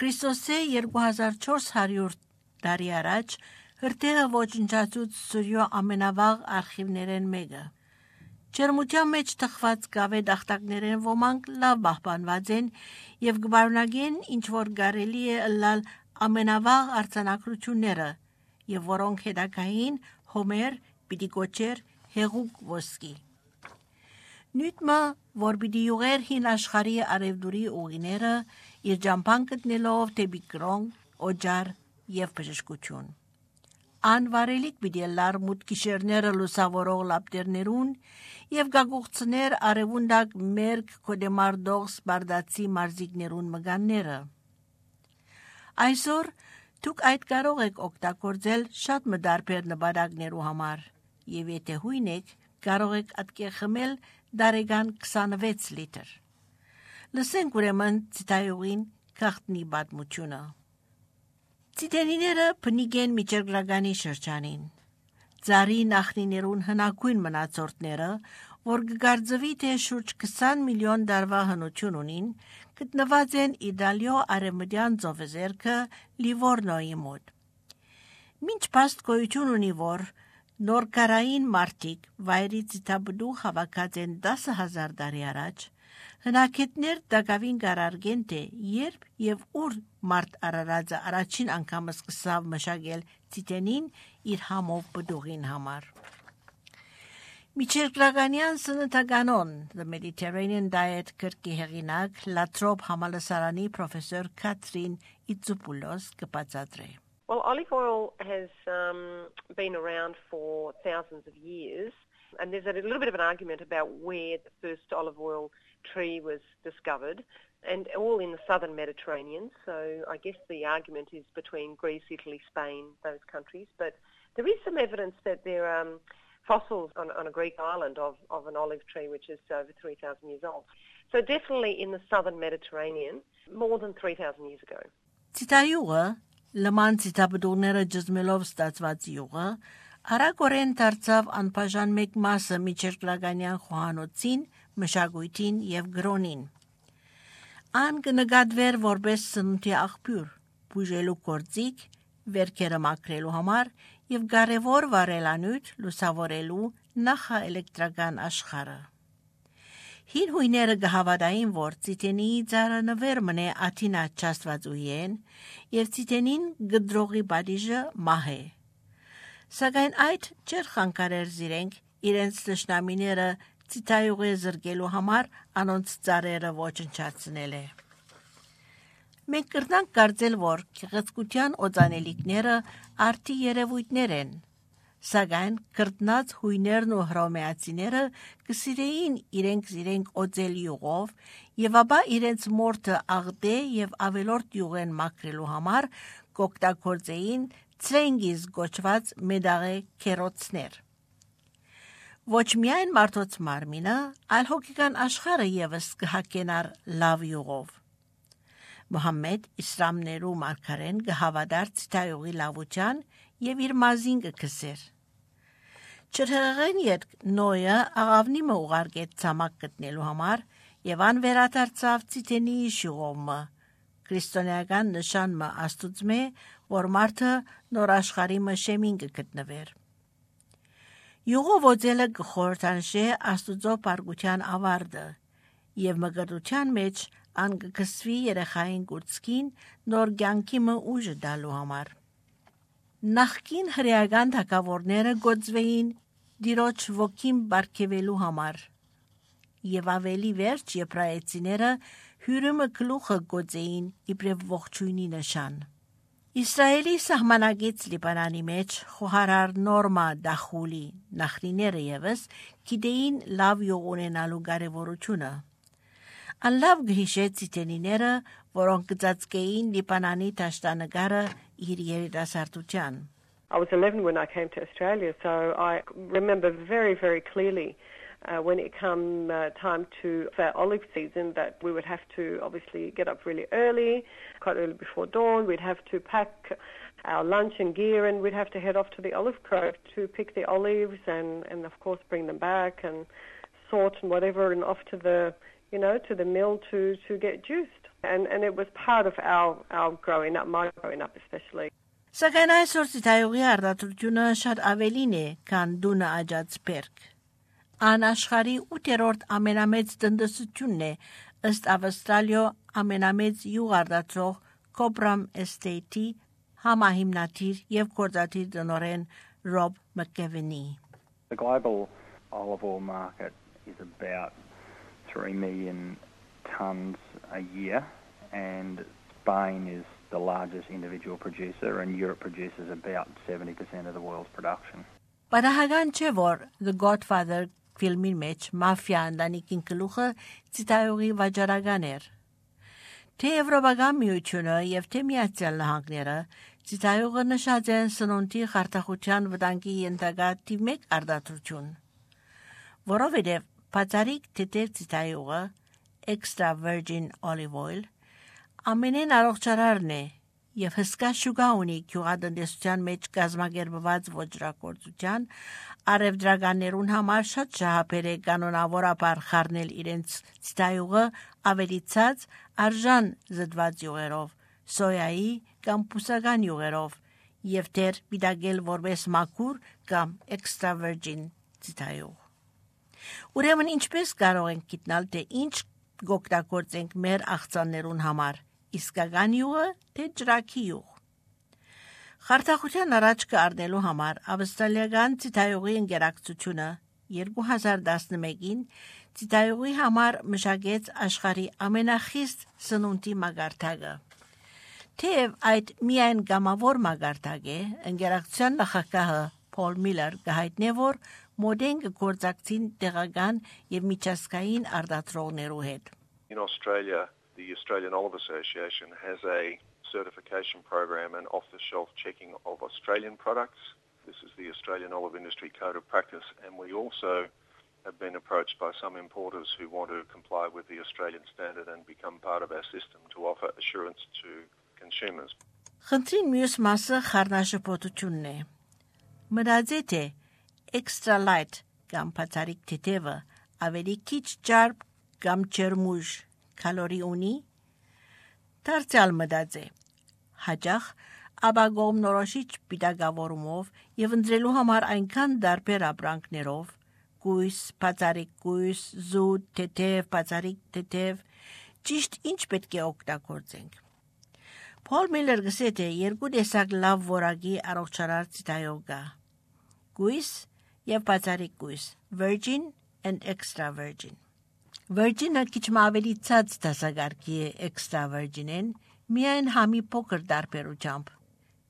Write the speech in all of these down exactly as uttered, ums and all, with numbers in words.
Քրիստոսե երկու հազար չորս հարյուր տարի առաջ հրթիռը ոչնչացուց Սուրյո ամենավաղ արխիվներեն մեկը։ Ջերմության մեջ թխված կավե դախտակներեն ոմանք լավ պահպանված են եւ գբարունագեն ինչ որ կարելի է ըլլալ ամենավաղ արձանագրությունները եւ որոնք հետագային Հոմեր պիտի կոչեր հեղուկ ոսկի։ Նույնմա, որ պիտի յուղեր հին աշխարհի արևդուրի ուղիները իր ջամփան գտնելով դեպի կրոն, օջար եւ բժշկություն։ Անվարելիք պիտի լար մութ գիշերները լուսավորող լապտերներուն եւ գագուղցներ արևունդակ մերկ կոդեմարդող սպարդացի մարզիկներուն մգանները։ Այսօր դուք այդ կարող եք օգտագործել շատ մդարբեր նպատակներու համար եւ եթե հույն եք կարող եք ատկե խմել դարեգան քսանվեց լիտր։ Լսենք ուրեմն ցիտայողին քաղտնի պատմությունը։ Ցիտենիները բնիկ են միջերգրագանի շրջանին։ Ծարի նախնիներուն հնակույն մնացորդները, որ կգարձվի թե շուրջ քսան միլիոն դարվա հնություն ունին, գտնված են Իտալիո արևմտյան ծովեզերքը Լիվորնոյի մոտ։ Մինչ փաստ գոյություն ունի, որ նորկարային մարտիկ վայրի ցիտաբդու հավաքած են տասը հազար տարի առաջ, հնակետներ դակավին կարարգեն թե երբ եւ ուր մարդ արարածը առաջին անգամ սկսավ մշակել ցիտենին իր համով բդուղին համար։ Միջերկրականյան սննդականոն The Mediterranean Diet գրքի հեղինակ Լատրոփ համալսարանի պրոֆեսոր Քաթրին Իցուպուլոս կբացատրի։ Well, olive oil has um, been around for thousands of years, and there's a little bit of an argument about where the first olive oil tree was discovered, and all in the southern Mediterranean. So I guess the argument is between Greece, Italy, Spain, those countries. But there is some evidence that there are um, fossils on, on a Greek island of, of an olive tree which is over three thousand years old. So definitely in the southern Mediterranean, more than three thousand years ago. Ցիտայյուղը լման ցիտաբդուղները ջզմելով ստացված յուղը արագորեն դարձավ անբաժան մեկ մասը միջերկրականյան խոհանոցին, մշակույթին եւ գրոնին։ Ան կնկատվեր որպես սննդի աղբյուր, բուժելու գործիք, վերքերը մաքրելու համար եւ կարեւոր վարելանյութ լուսավորելու նախաէլեկտրական աշխարհը։ Հին հույները կհավատային, որ ցիտենիի ծառը նվեր մնե աթինա չաստվածուհին եւ ցիտենին գդրողի բադիժը մահ է։ Սակայն այդ չէր խանգարեր զիրենք իրենց տշնամիները ցիտայյուղի զրկելու համար անոնց ծառերը ոչնչացնել է։ Մենք կրնանք կարծել, որ գեղեցկության օծանելիքները արդի երևույթներ են, սակայն կրտնած հույներն ու հռոմեացիները կսիրեին իրենք իրենք օծել յուղով եւ ապա իրենց մորթը աղդե եւ ավելորդ յուղեն մաքրելու համար կօգտագործեին ցրենգիզ գոչված մեդաղե քերոցներ։ Ոչ միայն մարդոց մարմինը, այլ հոգեկան աշխարհը եւս կհակենար լավ յուղով։ Մուհամմեդ իսլամներու մարգարեն կհավատար ցիտայյուղի լավության եւ իր մազին կքսեր։ Չրհեղեն երկ նոյը աղավնիմը ուղարկեց ցամաք գտնելու համար եւ ան վերադարձավ ցիտենիի շուղոմը, քրիստոնեական նշանը աստուծմե, որ մարդը նոր աշխարհի մշեմին կգտնվեր։ Յուղով օծելը կխորհրդանշե աստուծո բարգության ավարտը եւ մգրտության մեջ ան կքսվի երեխային կուրծքին նոր կյանքի ուժը դալու համար։ Նախկին հրեական թագավորները գոծվեին դիրոջ ոգին բարգեւելու համար եւ ավելի վերջ եբրայեցիները հյուրիմը գլուխը գոծեին իբրև ողջույնի նշան։ Իսրայելի սահմանագից Լիբանանի մեջ խոհարար Նորմա Դախուլի նախնիները եւս գիտեին լավ յուղ ունենալու կարեւորությունը։ Անլավ գհիշե ցիտենիները, որոնք կծածկեին Լիբանանի դաշտանկարը իր երիտասարդության։ I was eleven when I came to Australia, so I remember very, very clearly uh, when it came uh, time to for olive season that we would have to obviously get up really early, quite early before dawn. We'd have to pack our lunch and gear and we'd have to head off to the olive grove to pick the olives and, and of course bring them back and sort and whatever and off to the, you know, to the mill to, to get juiced. And, and it was part of our, our growing up, my growing up especially. Սակայն այսօր ծիթայողի արտադրությունը շատ ավելին է, քան դունը աճած բերք։ Ան աշխարհի ութերորդ ամենամեծ տնտեսությունն է, ըստ Ավստրալիո ամենամեծ յուղ արտադրող Cobram Estate-ի համահիմնադիր եւ գործադիր տնօրեն Rob McGavin-ի. The global olive oil market is about three million tonnes a year, and Spain is the largest individual producer, and Europe produces about seventy percent of the world's production. Պատահական չէ, որ The Godfather ֆիլմի մեջ մաֆիա ընտանիքին գլուխը ծիթայողի վաճառական էր։ Թե Եվրոպական միությունը եւ թե Միացյալ Նահանգները ծիթայողը նշած են սնունդի խարդախության վտանգի ենթակա թիվ մեկ արտադրություն, որովհետեւ բացառիկ թեթև ծիթայողը extra virgin olive oil ամենեն առողջարարն է եւ հսկա շուկա ունի գյուղատնտեսության մեջ կազմակերպված ոչրակորցության արևդրականներուն համար շատ շահապեր է կանոնավորաբար խառնել իրենց ծիթայողը ավելիցած արժան զդված յուղերով, սոյայի կամ բուսական յուղերով եւ դեր պիտակել որպես մաքուր կամ extra virgin ծիթայող։ Ուրեմն ինչպես կարող ենք գտնել, թե ինչ գոկտագործենք մեր աղցաններուն համար, իսկական յուղը թե ջրակի յուղ։ Խարդախության առաջ կառնելու համար ավստրալիական ծիթայողի ընկերակցությունը երկու հազար տասնմեկին ծիթայողի համար մշակեց աշխարհի ամենախիստ սնունդի մագարտակը։ Թեև այդ միայն գամավոր մագարտակ է, ընկերակցության նախագահը Paul Miller գահիտնե որ մոդեն գործակցին տեղական եւ միջազգային արտադրողներու հետ։ In Australia, the Australian Olive Association has a certification program and off-the-shelf checking of Australian products. This is the Australian Olive Industry Code of Practice, and we also have been approached by some importers who want to comply with the Australian standard and become part of our system to offer assurance to consumers. Խնդրին մյուս մասը խառնաշփոթությունն է։ Մտածե թե extra light կամ բացառիկ թեթևը ավելի քիչ ճարպ կամ ջերմուժ կալորի ունի։ Դարձյալ մտածե հաջող ապագոմ նորոշիչ պիտակավորումով եւ ընտրելու համար այնքան դարբեր ապրանքներով գույս, բացառիկ գույս, զուտ, թեթև, բացառիկ թեթև, ճիշտ ինչ պետք է օգտագործենք։ Paul Miller գսե թե երկու տեսակ լավ որակի առողջարար ծիթայող կա։ Գույս եւ բացառիկ գույս, virgin and extra virgin։ Virgin-ը քիչ ավելի ցած դասակարգի է extra virgin-ին, միայն համի փոքր դարբերությամբ։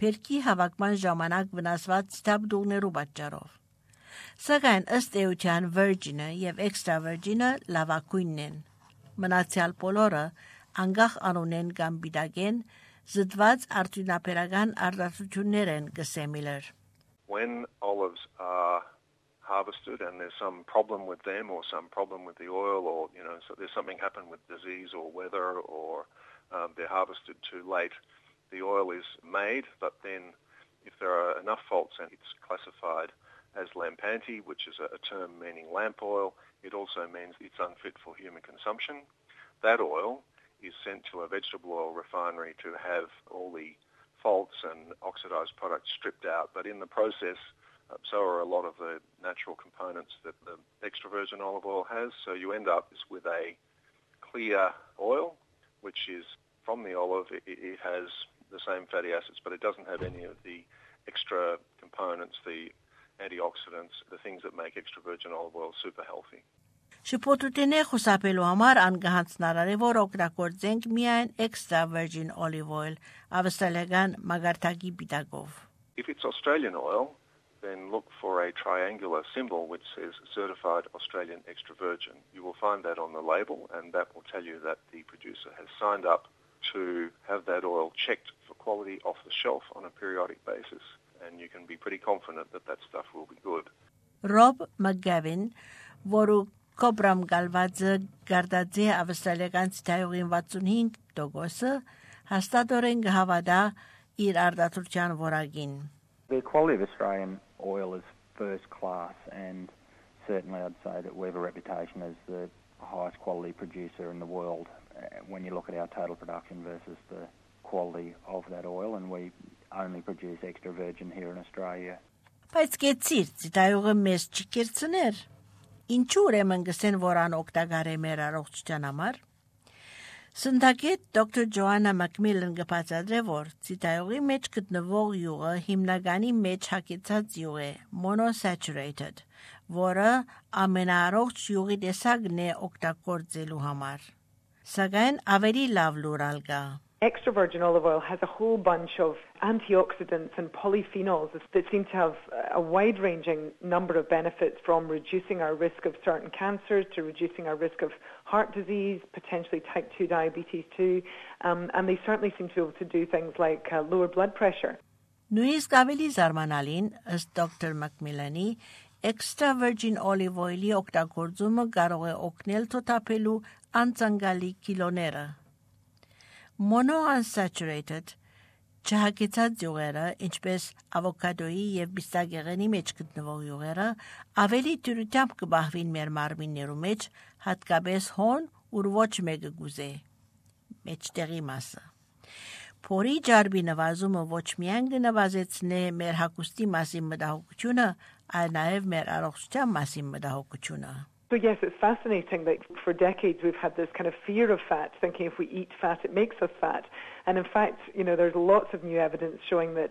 Փերքի հավաքման ժամանակ վնասված ցտաբդուղներու պատճառով։ Սակայն ըստ էության virgin-ը եւ extra virgin-ը լավագույնն են։ Մնացյալ բոլորը անգախ անունեն կամ բիդագեն զդված արտունաբերական արտադրություններ են գսե Miller։ When olives are harvested and there's some problem with them or some problem with the oil, or you know, so there's something happened with disease or weather, or um, they're harvested too late, the oil is made, but then if there are enough faults and it's classified as lampanti, which is a, a term meaning lamp oil, it also means it's unfit for human consumption. That oil is sent to a vegetable oil refinery to have all the faults and oxidized products stripped out, but in the process Uh, so are a lot of the natural components that the extra virgin olive oil has. So you end up with a clear oil, which is from the olive. It, it has the same fatty acids, but it doesn't have any of the extra components, the antioxidants, the things that make extra virgin olive oil super healthy. Շփոթությունե խուսափելու համար անգահանցնարար է, որ օգտագործենք միայն extra virgin olive oil, ավստրալիական մագարտակի պիտակով։ If it's Australian oil, then look for a triangular symbol which says Certified Australian Extra Virgin. You will find that on the label, and that will tell you that the producer has signed up to have that oil checked for quality off the shelf on a periodic basis, and you can be pretty confident that that stuff will be good. Rob McGavin, որը Cobram գալվածը գարդաձե ավստրալիական ծիթայողին վաթսունհինգ տոկոսը հաստատորեն գհավադա իր արտադրության որակին։ The quality of Australian oil is first class, and certainly I'd say that we have a reputation as the highest quality producer in the world, when you look at our total production versus the quality of that oil, and we only produce extra virgin here in Australia. Բայց գեցիր, ցիտայողը մեզ չկերցներ։ Ինչու ուրեմն գսեն որան օգտակար է մեր առողջության համար։ Սնդակետ դոկտոր Ջոաննա Մակմիլլեն գպացադրե, որ ցիտայողի մեջ գտնվող յուղը հիմնականի մեջ հագեցած յուղ է, monosaturated, որը ամենաառողջ յուղի տեսակն է օգտագործելու համար։ Սակայն ավելի լավ լուրալ կա։ Extra virgin olive oil has a whole bunch of antioxidants and polyphenols that seem to have a wide-ranging number of benefits, from reducing our risk of certain cancers to reducing our risk of heart disease, potentially type two diabetes too, um, and they certainly seem to be able to do things like uh, lower blood pressure. Նույնիսկ ավելի զարմանալին, ըստ դոկտոր Մակմիլանի, extra virgin olive oil-ի օգտագործումը կարող է օգնել թոթափելու անցանկալի կիլոները։ Monounsaturated չհագեցած յուղերը, ինչպես ավոկադոյի եւ բիստագեղենի մեջ գտնվող յուղերը, ավելի դյուրությամբ կբահվին մեր մարմիններու մեջ, հատկապես հոն, ուր ոչ մեկը գուզե, մեջտեղի մասը։ Փորի ջարբի նվազումը ոչ միայն կնվազեցնե մեր հագուստի մասին մտահոգությունը, այլ նաեւ մեր առողջության մասին մտահոգությունը։ So yes, it's fascinating that for decades we've had this kind of fear of fat, thinking if we eat fat it makes us fat. And in fact, you know, there's lots of new evidence showing that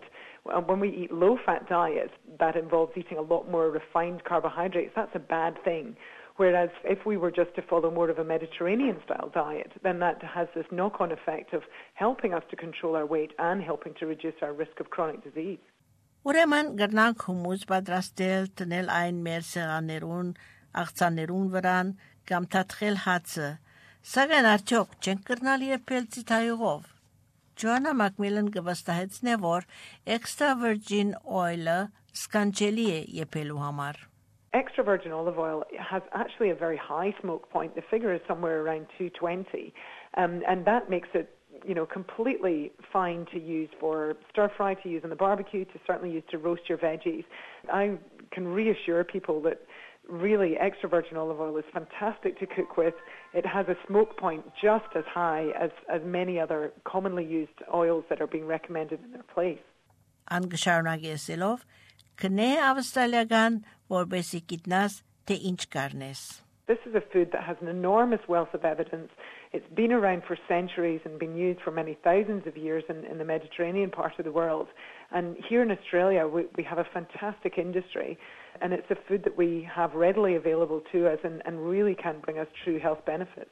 when we eat low-fat diets, that involves eating a lot more refined carbohydrates. That's a bad thing. Whereas if we were just to follow more of a Mediterranean-style diet, then that has this knock-on effect of helping us to control our weight and helping to reduce our risk of chronic disease. Ուրեմն գրնանք հումուս պատրաստել տնել այն մեր սեղաններուն աղցաներուն վրան կամ թաթխել հացը, սակայն արդյոք չենք կրնալ եփել ցիտայողով։ Ջոաննա Մակմիլլեն կվստահեցնե, որ extra virgin oil-ը սկանջելի է եփելու համար։ Extra virgin olive oil has actually a very high smoke point. The figure is somewhere around two twenty, um, and that makes it, you know, completely fine to use for stir fry, to use on the barbecue, to certainly use to roast your veggies. I can reassure people that really extra virgin olive oil is fantastic to cook with. It has a smoke point just as high as, as many other commonly used oils that are being recommended in their place. Անգշարունակեսելով կնե ավստրալիական որբեսի գիտնաս թե ինչ կարնես։ This is a food that has an enormous wealth of evidence. It's been around for centuries and been used for many thousands of years in, in the Mediterranean part of the world. And here in Australia, we, we have a fantastic industry, and it's a food that we have readily available to us and, and really can bring us true health benefits.